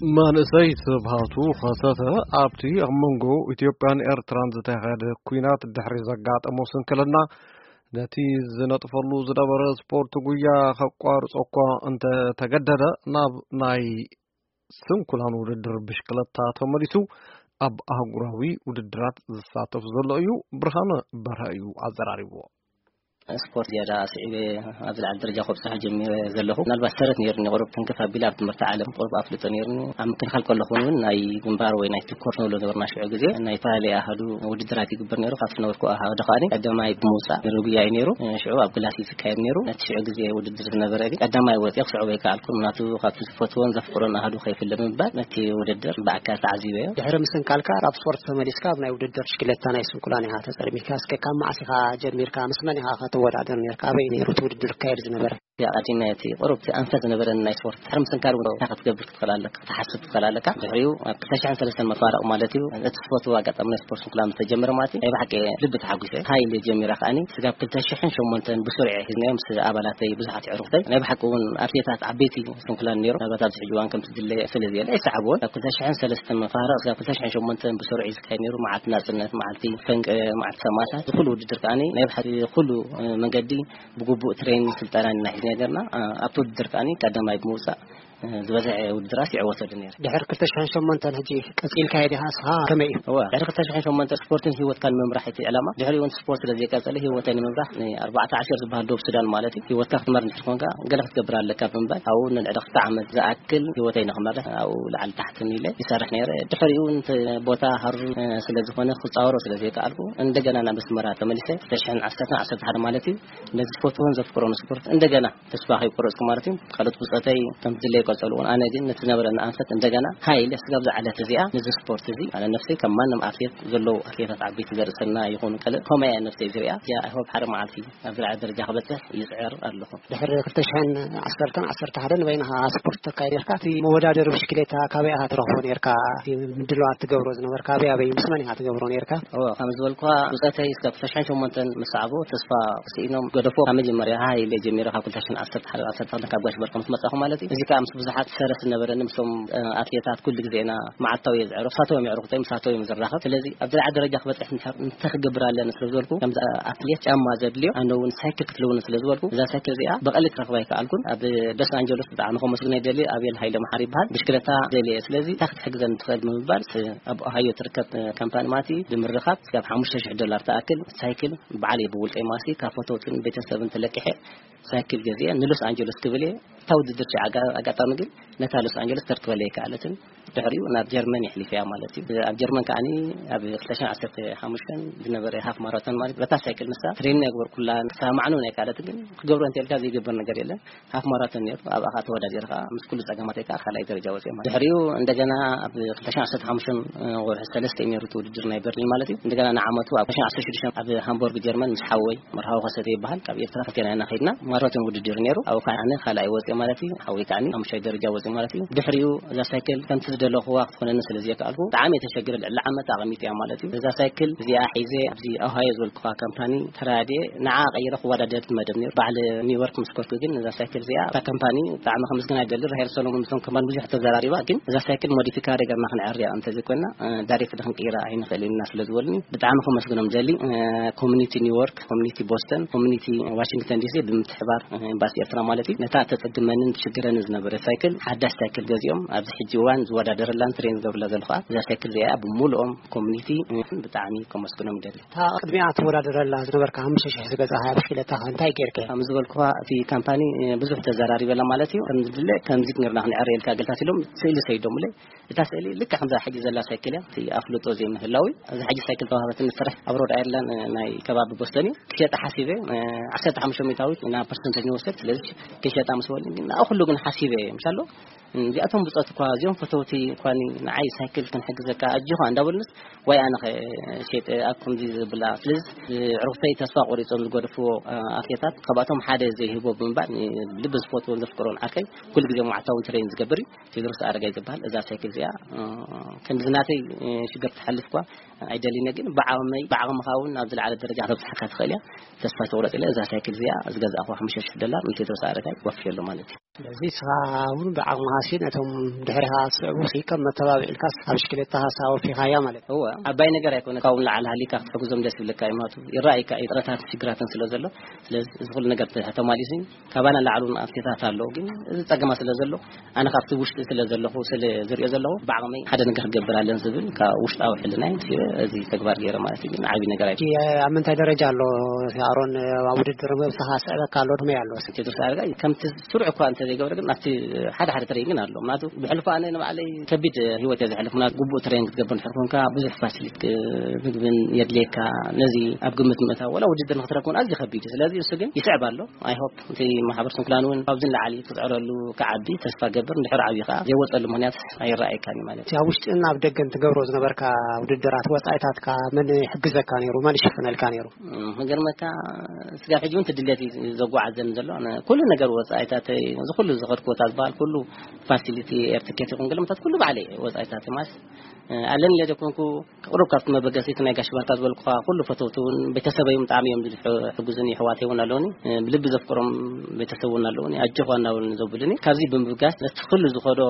መንእሰይ ስብሃቱ ከሰተ ኣብቲ ኣብ መንጎ ኢትዮጵያን ኤርትራን ዝተኻየደ ኲናት ድሕሪ ዘጋጠሞ ስንክልና፣ ነቲ ዝነጥፈሉ ዝነበረ ስፖርት ጉያ ከቋርጾ እኳ እንተተገደደ፣ ናብ ናይ ስንኩላን ውድድር ብሽክለታ ተመሊሱ ኣብ ኣህጉራዊ ውድድራት ዝሳተፍ ዘሎ እዩ። ብርሃነ በርሀ እዩ ኣዘራሪብዎ። ስፖርት ዝያዳ ስዒበ ኣብ ዝለዓለ ደረጃ ከብፅሖ ጀሚረ ዘለኹ። ምናልባት ሰረት ነይሩኒ፣ ቁሩብ ትንክፍ ኣቢለ ኣብ ትምህርቲ ዓለም ቁሩብ ኣፍልጦ ነይሩኒ። ኣብ ምክልኻል ከለኹ እውን ናይ ግንባር ወይ ናይ ትኮር ንብሎ ነበርና። ሽዑ ግዜ ናይ ዝተፈላለዩ ኣሃዱ ውድድራት ይግበር ነይሩ። ካብቲ ነበርኩ ኣሃዱ ከኣ ቀዳማይ ብምውፃእ መደብ ጉያ እዩ ነይሩ። ሽዑ ኣብ ግላሲ ዝካየድ ነይሩ። ነቲ ሽዑ ግዜ ውድድር ዝነበረ ግን ቀዳማይ ወፂአ ክስዕቦ ኣይከኣልኩን። ምክንያቱ ካብቲ ዝፈትዎን ዘፍቅሮን ኣሃዱ ከይፍለ ብምባል ነቲ ውድድር ብኣካል ተዓዚበዮ። ድሕሪ ምስንካልካ ኣብ ስፖርት ተመሊስካ ኣብ ናይ ውድድር ብሽክለታ ናይ ስንኩላን ኢኻ ተጸልሚካ። እስከ ካብ መዓስ ኢኻ ጀሚርካ? ምስ መን ኢኻ ኸ ትወዳደር ነርካ? ኣበይ ነይሩ እቲ ውድድር ክካየድ ዝነበረ? ያ ቀዲመ እቲ ቁሩብ እቲ ኣንፈት ዝነበረኒ ናይ ስፖርት ድሕሪ ምስንካል እውን እንታይ ክትገብር ክትኽእል ኣለካ፣ ክትሓስብ ትኽእል ኣለካ። ድሕሪኡ ኣብ ክልተ ሽሕን ሰለስተን መፋርቕ ማለት እዩ፣ እቲ ዝፈትዎ ኣጋጣሚ ናይ ስፖርት ስንኩላን ምስ ተጀመረ ማለት እዩ፣ ናይ ብሓቂ ልቢ ተሓጒሰ። ሃይለ ጀሚራ ከኣኒ ስጋብ ክልተ ሽሕን ሸሞንተን ብስሩዕ ሒዝናዮ ምስ ኣባላተይ ብዙሓት ኣዕሩኽተይ። ናይ ብሓቂ እውን ኣትሌታት ዓበይቲ ስንኩላን ነይሮም። ምናልባት ኣብዚ ሕጂ እዋን ከምቲ ድለ ስለ ዘየለ ኣይሰዓብዎን። ካብ ክልተ ሽሕን ሰለስተን መፋርቕ ስጋብ ክልተ ሽሕን ሸሞንተን ብስሩዕ እዩ ዝካየድ ነይሩ። መዓልቲ ናጽነት፣ መዓልቲ ፈንቅለ፣ መዓልቲ ሰማእታት፣ እዚ ኩሉ ውድድር ከኣኒ ናይ ብሓቂ ኩሉ መንገዲ ብግቡእ ትሬኒንግ ስልጠና ኢና ሒዝና ነርና። ኣብቲ ውድድር ከኣኒ ቀዳማይ ብምውጻእ ዝበዝሐ ውድድራት ይዕወት ወዲ ነይረ። ድሕሪ ክልተ ሽሕን ሸሞንተን ሕጂ ቀጺልካዮ ዲኻ ንስኻ? ከመይ እዩ? እወ፣ ድሕሪ ክልተ ሽሕን ሸሞንተን ስፖርትን ህይወትካን ምምራሕ እቲ ዕላማ። ድሕሪኡ እውን ስፖርት ስለ ዘይቀጸለ ህይወተይ ንምምራሕ ንኣርባዕተ ዓሸር ዝበሃል ዶብ ሱዳን ማለት እዩ፣ ህይወትካ ክትመርሕ እንድሕር ኮንካ ገለ ክትገብር ኣለካ ብምባል ኣብኡ ንልዕሊ ክልተ ዓመት ዝኣክል ህይወተይ ንኽመርሕ ኣብኡ ላዕሊ ታሕትን ኢለ ይሰርሕ ነይረ። ድሕሪኡ እውን እቲ ቦታ ሃሩር ስለ ዝኾነ ክጻወሮ ስለ ዘይከኣልኩ እንደገና ናብ ኣስመራ ተመሊሰ ክልተ ሽሕን ዓሰርተን ዓሰርተ ሓደ ማለት እዩ ነዚ ዝፈትዎን ዘፍቅሮን ስፖርት እንደገና ተስፋ ከይቆረጽኩ ማለት እዩ። ካልኦት ብጾተይ ከም ድለይ ይቀጸሉ እውን፣ ኣነ ግን ነቲ ዝነበረኒ ኣንፈት እንደገና ሃይ ኢለ ስጋብ ዝዓለት እዚኣ ነዚ ስፖርት እዚ፣ ኣነ ነፍሰይ ከም ማንም ኣትሌት ዘለዉ ኣትሌታት ዓበይቲ ዘርእሰና ይኹኑ ካልእ ከምኡ እያ ነፍሰይ ዝሪኣ። እዚኣ ኣይሆፕ ሓደ መዓልቲ ኣብ ዝለዓለ ደረጃ ክበጽሕ ይጽዕር ኣለኹ። ድሕሪ ክልተ ሽሕን ዓሰርተን ዓሰርተ ሓደን በይንኻ ስፖርት ተካይድ ነርካ። እቲ መወዳደሪ ብሽክሌታ ካበይ ኢኻ ትረኽቦ ነርካ? እቲ ምድላዋት ትገብሮ ዝነበርካ ኣበይ ኣበይ ምስ መን ኢኻ ትገብሮ ነርካ? እወ፣ ከም ዝበልኩኻ ብጾተይ እስካብ ክልተ ሽሕን ሸሞንተን ምስ ሰዓቡ ተስፋ ስኢኖም ገደፎ። ካብ መጀመርያ ሃይ ኢለ ጀሚረ፣ ካብ ክልተ ሽሕን ዓሰርተ ሓደ ዓሰርተ ክልተ ካብ ጋሽ በርቆም ምስ መጻኹ ማለት እዩ። እዚ ከኣ ምስ ብዙሓት ሰረት ዝነበረኒ ምስቶም ኣትሌታት ኩሉ ግዜ ኢና መዓልታዊ እየ ዝዕረፍ፣ ሳቶም እዮም የዕርኹተይ፣ ምሳቶም እዮም ዝራኸብ። ስለዚ ኣብ ዝለዓለ ደረጃ ክበጽሕ እንተ ክገብር ኣለኒ ስለ ዝበልኩ፣ ከምዚ ኣትሌት ጫማ ዘድልዮ ኣነ እውን ሳይክል ክትልውኒ ስለ ዝበልኩ፣ እዛ ሳይክል እዚኣ ብቐሊ ክረኽባ ኣይከኣልኩን። ኣብ ሎስ ኣንጀለስ ብጣዕሚ ከመስግኖ ይደሊ፣ ኣቤል ሃይለ መሓሪ ይበሃል፣ ብሽክለታ ደልየ፣ ስለዚ እንታይ ክትሕግዘኒ ትኽእል ብምባል ስ-፣ ኣብ ኦሃዮ ትርከብ ካምፓኒ ማቲ ብምርኻብ እስካብ ሓሙሽተ ሽሕ ዶላር ትኣክል ሳይክል ባዕለይ ብውልቀይ ማሲ ካብ ፈተውትን ቤተሰብን ተለቂሐ ሳይክል ገዚአ ንሎስ ኣንጀለስ ክብል እየ። እታ ውድድር ሸ ኣጋ-፣ ኣጋጣሚ ግን ነታ ሎስ ኣንጀለስ ተርክበለይ ኣይከኣለትን። ድሕሪኡ ናብ ጀርመን የሕሊፈያ ማለት እዩ። ኣብ ጀርመን ከኣኒ ኣብ ክልተ ሽሕን ዓሰርተ ሓሙሽተን ዝነበረ ሃፍ ማራቶን ማለት በታ ሳይክል ንሳ ትሬኒንግ ኣይገበርኩላን፣ ክሰማዕኑ ናይ ካልኦት ግን ክገብሮ እንተልካ ዘይግበር ነገር የለን። ሃፍ ማራቶን ነይሩ፣ ኣብኣ ከዓ ተወዳዲረ ከዓ ምስ ኩሉ ጸገማተይ ከዓ ካልኣይ ደረጃ ወፅየ ማለት። ድሕሪኡ እንደገና ኣብ ክልተ ሽሕን ዓሰርተ ሓሙሽተን ወርሒ ሰለስተ እዩ ነይሩ እቲ ውድድር ናይ በርሊን ማለት እዩ። እንደገና ንዓመቱ ኣብ ክልተ ሽሕን ዓሰርተ ሽዱሽተን ኣብ ሃምቦርግ ጀርመን ምስ ሓወይ መርሃዊ ከሰተ ይበሃል፣ ካብ ኤርትራ ክልቴና ኢና ከይድና። ማራቶን ውድድር ነይሩ፣ ኣብኡ ከዓ ኣነ ካልኣይ ወፅየ ማለት እዩ። ሓወይ ከዓ ሓሙሻይ ደረጃ ወፅየ ማለት እዩ። ድሕሪኡ እዛ ሳይክል ከምቲ ዝደለኽዋ ክትኾነኒ ስለ ዘይከኣልኩ ብጣዕሚ እየ ተሸጊረ፣ ልዕሊ ዓመት ኣቐሚጠያ ማለት እዩ። እዛ ሳይክል እዚኣ ሒዘ ኣብዚ ኦሃዮ ዝበልኩኻ ካምፓኒ ተራድየ ንዓ ቀይረ ክወዳደር እቲ መደብ ነይሩ። በዓል ኒውዮርክ ምስ ኮርኩ ግን እዛ ሳይክል እዚኣ እታ ካምፓኒ ብጣዕሚ ከመስግና ይደሊ። ራሄል ሰሎሞን ምስቶም ካምፓኒ ብዙሕ ተዘራሪባ፣ ግን እዛ ሳይክል ሞዲፊካሪ ገርና ክንዕርያ እንተዘይኮንና ዳይሬክት ክንቅይራ ኣይንኽእል ኢና ስለ ዝበሉኒ ብጣዕሚ ከመስግኖም ደሊ። ኮሚኒቲ ኒውዮርክ፣ ኮሚኒቲ ቦስተን፣ ኮሚኒቲ ዋሽንግተን ዲሲ ብምትሕባር ኤምባሲ ኤርትራ ማለት እዩ፣ ነታ ተጸግመንን ትሽግረንን ዝነበረ ሳይክል ሓዳሽ ሳይክል ገዚኦም ኣብዚ ሕጂ እዋን ዝወዳደረላን ትሬን ዝገብርላ ዘለኹ እዛ ሳይክል እዚኣ ብምሉኦም ኮሚኒቲ ብጣዕሚ ከመስግኖም ይደሊ። እታ ቅድሚኣ ትወዳደረላ ዝነበርካ ሓሙሽተ ሽሕ ዝገዛእካ ብሽክለታ እንታይ ጌርካ? ከም ዝበልኩኻ እቲ ካምፓኒ ብዙሕ ተዘራሪበላ ማለት እዩ። ከም ዝድለ ከምዚ ጌርና ክንዕረየልካ ገልታት ኢሎም ስእሊ ሰይዶምለይ። እታ ስእሊ ልክዕ ከምዛ ሕጂ ዘላ ሳይክል እያ። እቲ ኣፍልጦ ዘይምህላው እዩ። እዛ ሕጂ ሳይክል ተዋህበትኒ ስራሕ ኣብ ሮድ ኣየርላንድ ናይ ከባቢ ቦስተን እዩ። ክሸጣ ሓሲበ ዓሰርተ ሓሙሽተ ሚእታዊት ኢና ፐርሰንተጅ ንወስድ። ስለዚ ክሸጣ ምስ በሉኒ ግን ንኣ ኩሉ ግን ሓሲበ እየ። ምሻሎ እዚኣቶም ብጾት እኳ እዚኦም ፈተውቲ እኳ ንዓይ ሳይክል ክንሕግዘካ ኣጆኻ እንዳበሉንስ ዋይ ኣነ ኸ ሸይጠ ኣብ ከምዚ ዝብላ። ስለዚ ዕሩኽተይ ተስፋ ቆሪጾም ዝገደፍዎ ኣትሌታት ካብኣቶም ሓደ ዘይህቦ ብምባል ልቢ ዝፈትዎን ዘፍቅሮን ዓርከይ ኩሉ ግዜ መዓልታዊ ትሬን ዝገብር እዩ። ቴድሮስ ኣረጋይ ዝበሃል እዛ ሳይክል እዚኣ ከምዚ ናተይ ሽግር ትሓልፍ እኳ ኣይደልን እየ፣ ግን ብዓቕመይ ብዓቕምኻ እውን ናብ ዝለዓለ ደረጃ ከተብፅሓካ ትኽእል እያ። ተስፋ ትቑረፅ ኢለ እዛ ሳይክል እዚኣ ዝገዛእኹዋ ሓሙሽተ ሽሕ ዶላር ንቴድሮስ ኣረጋይ ወፍየሉ ማለት እዩ። እዚ ስኻ እውን ብዓቕምኻ ሲ ነቶም ድሕሪኻ ዝስዕቡ ሲ ከም መተባብዒ ኢልካስ ኣብ ብሽክሌታኻ ሳ ወፊኻያ ማለት እዩ። እወ፣ ዓባይ ነገር ኣይኮነ። ካብኡ ንላዕሊ ሃሊካ ክትሕግዞም ደስ ይብለካ እዩ። ማለቱ ይረኣይካ እዩ፣ ጥረታት ሽግራትን ስለ ዘሎ። ስለዚ እዚ ኩሉ ነገር ተ-፣ ተማሊሱ እዩ። ካባና ላዕሊ እውን ኣትሌታት ኣለዉ፣ ግን እዚ ጸገማ ስለ ዘሎ፣ ኣነ ካብቲ ውሽጢ ስለ ዘለኹ፣ ስለ ዝሪኦ ዘለኹ፣ ብዓቕመይ ሓደ ነገር ክገብር ኣለን ዝብል ካብ ውሽጣዊ ሕልናይ ምስ እዚ ተግባር ገይረ ማለት እዩ። ግን ዓብዪ ነገር ኣይ እቲ ኣብ ምንታይ ደረጃ ኣሎ? ኣሮን፣ ኣብ ውድድር ምብጽኻ ስዕበካ ኣሎ፣ ከመይ ኣሎ? ቴድሮስ ኣረጋይ ከምቲ ስሩዕ እኳ እንተ ዘይገብረ፣ ግን ኣብቲ ሓደ ሓደ ትሬን ግን ኣሎ። ምክንያቱ ብሕልፎ ኣነ ንባዕለይ ከቢድ ህይወት እየ ዘሕልፍ። ምክንያቱ ግቡእ ትሬን ክትገብር እንድሕር ኮንካ፣ ብዙሕ ፋሲሊቲ ክ-፣ ምግብን የድልየካ። ነዚ ኣብ ግምት ምእታው፣ ወላ ውድድር ንክትረክብ እውን ኣዝዩ ከቢድ እዩ። ስለዚ እሱ ግን ይስዕብ ኣሎ። ኣይ ሆፕ እቲ ማሕበር ስንኩላን እውን ካብዚ ንላዕሊ ክትዕረሉ ክዓቢ ተስፋ ገብር። እንድሕር ዓብዩ ከዓ ዘይወፀሉ ምክንያት ኣይረኣየካን እዩ ማለት እዩ። ኣብ ውሽጥን ኣብ ደገን ትገብሮ ዝነበርካ ውድድራት፣ ወፃኢታትካ መን ይሕግዘካ ነይሩ? መን ይሽፍነልካ ነይሩ? እም፣ ክገርመካ፣ ስጋብ ሕጂ እውን ትድልየት እዩ ዘጓዓዘኒ ዘሎ። ኣነ ኩሉ ነገር ወፃኢታተይ፣ እዚ ኩሉ ዝኸድኩ ቦታ ዝበሃል ኩሉ ፋሲሊቲ፣ ኤር ትኬት ይኹን ገለመታት ኩሉ ባዕለይ ወፃኢታተይ ማለት፣ እ፣ ኣለኒ ኢለ ዘይኮንኩ፣ ቅሩብ ካብቲ መበገሲት ናይ ጋሽ ባርካ ዝበልኩኻ ኩሉ ፈተውቲ እውን ቤተሰበይ እውን ብጣዕሚ እዮም ዝሕ-፣ ዝሕግዙኒ፣ ኣሕዋተይ እውን ኣለውኒ፣ እ፣ ብልቢ ዘፍቅሮም ቤተሰብ እውን ኣለውኒ፣ ኣጆኻ እናበሉኒ ዘብሉኒ። ካብዚ ብምብጋስ ነቲ ኩሉ ዝኸዶ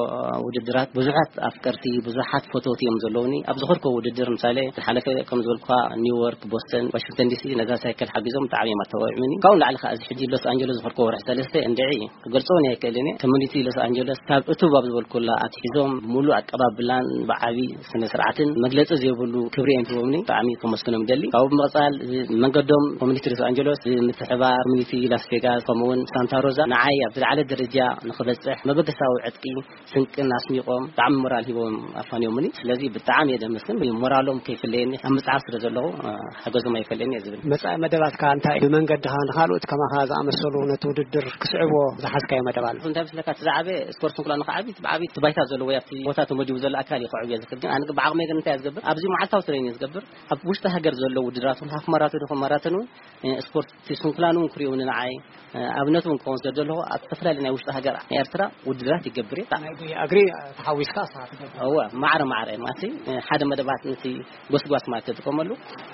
ውድድራት ብዙሓት ኣፍቀርቲ፣ ብዙሓት ፈተውቲ እዮም ዘለውኒ። ኣብ ዝኸድኮ ውድድር ምሳሌ ዝሓለፈ ከም ዝበልኩኻ ኒውዮርክ፣ ቦስተን፣ ዋሽንግተን ዲሲ ነዛ ሳይክል ሓጊዞም ብጣዕሚ እዮም ኣተባቢዖምኒ። ካብኡ ንላዕሊ ከዓ እዚ ሕጂ ሎስ ኣንጀለስ ዝኸድኮ ወርሒ ሰለስተ እንድዒ ክገልጾ እውን ኣይክእልን እየ። ኮሚኒቲ ሎስ ኣንጀለስ ካብ እቱብ ኣብ ዝበልኩላ ኣትሒዞም ብምሉእ ኣቀባብላን ብዓቢ ስነ ስርዓትን መግለጺ ዘይብሉ ክብሪ እዮም ሂቦምኒ። ብጣዕሚ ከመስግኖም ደሊ። ካብኡ ብምቕጻል እዚ መንገዶም ኮሚኒቲ ሎስ ኣንጀለስ ብምትሕባር ኮሚኒቲ ላስ ቬጋስ ከምኡ እውን ሳንታ ሮዛ ንዓይ ኣብ ዝለዓለ ደረጃ ንኽበጽሕ መበገሳዊ ዕጥቂ ስንቅን ኣስኒቖም ብጣዕሚ ሞራል ሂቦም ኣፋንዮምኒ። ስለዚ ብጣዕሚ እየ ዘመስግን። ሞራሎም ከይፍለየኒ ኣብ ምጽዓር ስለ ዘለኹ፣ እ፣ ሓገዞም ኣይፈለየኒ እየ ዝብል። መጻኢ መደባትካ እንታይ እዩ? ብመንገድኻ ንኻልኦት ከማኻ ዝኣመሰሉ ነቲ ውድድር ክስዕብዎ ዝሓዝካዮ መደብ ኣሎ? እንታይ መስለካ፣ እቲ ዝዓበየ ስፖርት እንኩላ ንኽዓቢ፣ እቲ ብዓቢ እቲ ባይታ ዘለዎ፣ ኣብቲ ቦታ ተመዲቡ ዘሎ ኣካል እዩ ክዕብዮ ዝኽእል። ግን ኣነ ግን ብዓቕመይ ግን እንታይ እየ ዝገብር? ኣብዚ መዓልታዊ ትሬን እየ ዝገብር። ኣብ ውሽጢ ሃገር ዘለዉ ውድድራት እውን፣ ሃፍ ማራቶን ይኹን ማራቶን እውን፣ እ፣ ስፖርት እቲ ስንኩላን እውን ክርእዩኒ ንዓይ፣ እ፣ ኣብነት እውን ክኸውን ስለ ዘለኹ፣ ኣብ ዝተፈላለዩ ናይ ውሽጢ ሃገር ኤርትራ ውድድራት ይገብር እየ። ናይ ጉያ እግሪ ተሓዊስካ ኣስኻ ትገብር? እወ፣ ማዕረ ማዕረ ማለት፣ እ፣ ሓደ መደባት ነቲ ጎስጓስ ማለት ተጥቀመሉ።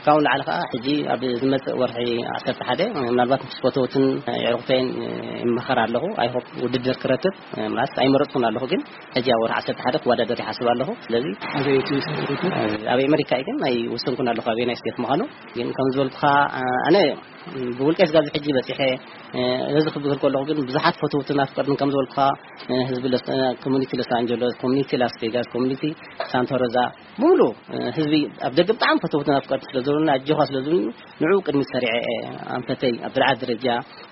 ካብኡ ንላዕሊ ከዓ ሕጂ ኣብ ዝመጽእ ወርሒ ዓሰርተ ሓደ ምናልባት ምስ ፈተውትን፣ እ፣ የዕሩኽተይን፣ እ፣ ይመኸር ኣለኹ። ኣይ ሆፕ ውድድር ክረክብ፣ እ፣ ማለት ኣይመረጽኩን ኣለኹ፣ ግን ሕጂ ኣብ ወርሒ ዓሰርተ ሓደ ክወዳደር ይሓስብ ኣለኹ። ስለዚ ኣበይ እቲ ውድድር? ኣብ ኣሜሪካ እዩ፣ ግን ኣይወሰንኩን ኣለኹ ኣበየናይ ስቴት ምዃኑ። ግን ከም ዝበልኩኻ፣ እ፣ ኣነ ብውልቀይ ስጋብ ሕጂ በጺሐ፣ እ፣ እዚ ክብል ከለኹ ግን ብዙሓት ፈተውትን ኣፍቀርትን ከም ዝበልኩኻ፣ እ፣ ህዝቢ ሎስ-፣ እ፣ ኮሚኒቲ ሎስ ኣንጀለስ፣ ኮሚኒቲ ላስ ቬጋስ፣ ኮሚኒቲ ሳንታ ሮዛ፣ ብምሉእ፣ እ፣ ህዝቢ ኣብ ደገ ብጣዕሚ ፈተውትን ኣፍቀርቲ ስለ ዘለውና፣ ኣጆኻ ስለ ዝብሉኒ፣ ንዕኡ ቅድሚት ሰሪዐ እየ ኣንፈተይ ኣብ ዝለዓለ ደረጃ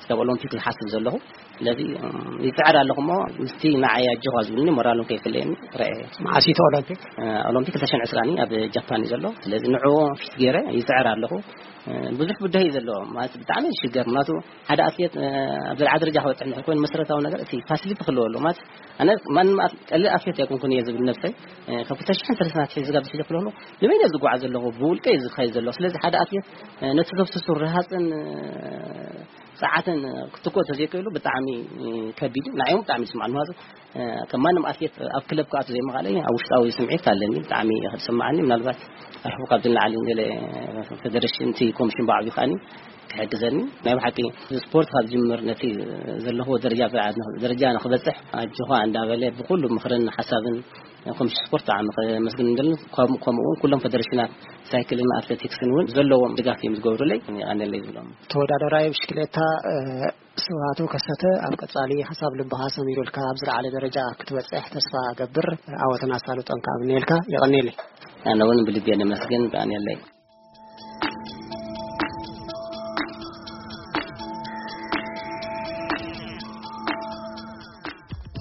ስጋብ ኦሎምፒክ ዝሓስብ ዘለኹ። ስለዚ፣ እ፣ ይጽዕር ኣለኹ እሞ፣ ምስቲ ንዓይ ኣጆኻ ዝብሉኒ ሞራሎም ከይፍለየኒ ረአ እየ። መዓስ እዩ እቲ ኦሎምፒክ? እ፣ ኦሎምፒክ ክልተ ሽሕን ዕስራን እዩ፣ ኣብ ጃፓን እዩ ዘሎ። ስለዚ ንዕኡ ፊት ገይረ ይጽዕር ኣለኹ። እ፣ ብዙሕ ብድሆ እዩ ዘለዎ። ማለት ብጣዕሚ እዩ ዝሽገር። ምክንያቱ ሓደ ኣትሌት፣ እ፣ ኣብ ዝለዓለ ደረጃ ክበጽሕ እንድሕር ኮይኑ መሰረታዊ ነገር እቲ ፋሲሊቲ ክህልዎ ኣለዎ። ማለት ኣነ ማንም ኣት-፣ ቀሊል ኣትሌት ኣይኮንኩን እየ ዝብል ነብሰይ። እ፣ ካብ ክልተ ሽሕን ሰለስተን ኣትሒዙ ስጋብ ዝሕጂ ክልሆ ንበይነ ዝጓዓዝ ዘለኹ፣ ብውልቀ እዩ ዝኸይድ ዘለኹ። ስለዚ ሓደ ኣትሌት፣ እ፣ ነቲ ዘፍስሱ ርሃጽን፣ እ፣ ጸዓትን ክትኮ ተዘይክእሉ ብጣዕሚ፣ እ፣ ከቢድ እዩ። ንዓዮም ብጣዕሚ ይስማዕ። ምክንያቱ፣ እ፣ ከም ማንም ኣትሌት ኣብ ክለብ ክኣቱ ዘይምኽኣለይ ኣብ ውሽጣዊ ስምዒት ኣለኒ። ብጣዕሚ እዩ ዝስማዓኒ። ምናልባት ኣሕቡ ካብዚ ንላዕሊ ገለ ፌደሬሽን፣ እቲ ኮሚሽን ብዓብዩ ከኣኒ ክሕግዘኒ። ናይ ብሓቂ ስፖርት ካብ ዝጅምር ነቲ ዘለዎ ደረጃ፣ ደረጃ ንኽበጽሕ ኣጆኻ እንዳበለ ብኩሉ ምኽርን ሓሳብን ኮሚሽን ስፖርት ብጣዕሚ ከመስግን እንደሊ፣ ከም-፣ ከምኡ እውን ኩሎም ፌደሬሽናት ሳይክልን ኣትሌቲክስን እውን ዘለዎም ድጋፍ እዮም ዝገብሩለይ። የቐንየለይ ዝብሎም። ተወዳዳራይ ብሽክሌታ፣ እ፣ ስብሃቱ ከሰተ፣ ኣብ ቀጻሊ ሓሳብ ልብኻ ሰሚሩልካ ኣብ ዝለዓለ ደረጃ ክትበጽሕ ተስፋ እገብር። ዓወትን ኣሳልጦን ከኣ እምነየልካ። የቐንየለይ። ኣነ እውን ብልቢ እየ ነመስግን። የቐንየለይ።